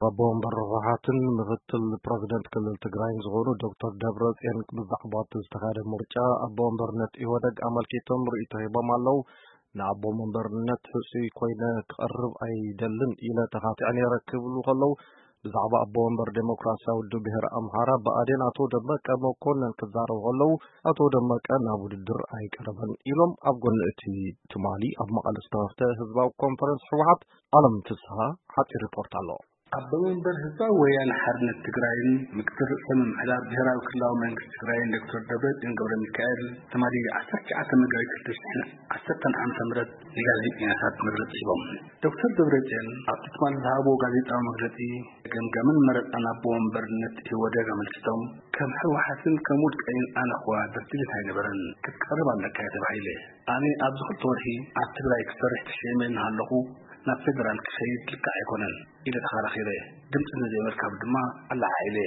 ኣቦ ወንበር ህወሓትን ምክትል ፕረዚደንት ክልል ትግራይን ዝኾኑ ዶክተር ደብረጽዮን ብዛዕባ እቲ ዝተኻየደ ምርጫ ኣቦ ወንበርነት ኢህወደግ ኣመልኪቶም ርእይቶ ሂቦም ኣለዉ። ንኣቦ ወንበርነት ሕጹይ ኮይነ ክቐርብ ኣይደልን ኢለ ተኻቲዐ ነይረ ክብሉ ከለዉ፣ ብዛዕባ ኣቦ ወንበር ዴሞክራሲያዊ ውድብ ብሄር ኣምሓራ ብኣዴን ኣቶ ደመቀ መኮነን ክዛረቡ ከለዉ፣ ኣቶ ደመቀ ናብ ውድድር ኣይቀረበን ኢሎም። ኣብ ጎኒ እቲ ትማሊ ኣብ መቐለ ዝተኸፍተ ህዝባዊ ኮንፈረንስ ህወሓት ኣለም ፍስሃ ሓጺር ሪፖርት ኣሎ። ኣቦ መንበር ህዝባዊ ወያነ ሓርነት ትግራይን ምክትል ርእሰ ምምሕዳር ብሄራዊ ክልላዊ መንግስቲ ትግራይን ዶክተር ደብረጽዮን ገብረ ሚካኤል ትማሊ ዓሰርተ ትሽዓተ መጋቢት ክልተ ሽሕን ዓሰርተን ዓመተ ምህረት ንጋዜጠኛታት መግለጺ ሂቦም። ዶክተር ደብረጽዮን ኣብቲ ትማሊ ዝሃብዎ ጋዜጣዊ መግለጺ፣ ገምጋምን መረጻን ኣቦ መንበርነት ኢህወደግ ኣመልኪቶም፣ ከም ህወሓትን ከም ውልቀይን ኣነ ኸዋ ድርድሪት ኣይነበረን፣ ክትቀርብ ኣለካ እየ ተባሂለ። ኣነ ኣብዚ ክልተ ወርሒ ኣብ ትግራይ ክሰርሕ ተሸይመ እናሃለኹ ናብ ፌደራል ክኸይድ ልክዕ ኣይኮነን ኢለ ተኸራኺረ። ድምፂ ንዘይምርካብ ድማ ኣለዓዒለ።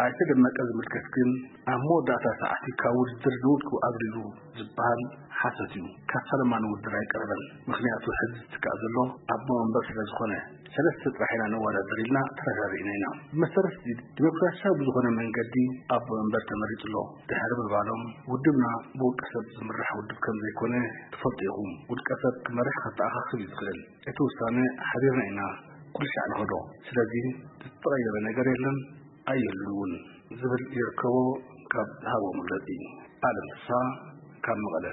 ኣይተ ደመቀ ዝምልከት ግን ኣብ መወዳእታ ሰዓቲ ካብ ውድድር ንውድቁ ኣግሪዙ ዝበሃል ሓሶት እዩ። ካብ ፈለማ ንውድድር ኣይቀረበን። ምኽንያቱ ሕዚ ዝትካእ ዘሎ ኣቦ መንበር ስለ ዝኾነ፣ ሰለስተ ጥራሕ ኢና ንወዳደር ኢልና ተረዳዲእና ኢና። ብመሰረት እዚ ዲሞክራሲያዊ ብዝኾነ መንገዲ ኣቦ መንበር ተመሪጹ ኣሎ። ድሕሪ ምባሎም፣ ውድብና ብውልቀ ሰብ ዝምራሕ ውድብ ከም ዘይኮነ ትፈልጡ ኢኹም። ውልቀ ሰብ ክመርሕ ከተኣኻኽብ እዩ ዝኽእል። እቲ ውሳነ ሓቢርና ኢና ኩሉ ሻዕ ንኸዶ። ስለዚ ዝተቐየረ ነገር የለን፣ ኣይህሉን እውን ዝብል ይርከቦ ካብ ዝሃቦ መግለጺ። ኣለም ፍስሃ ካብ መቐለ።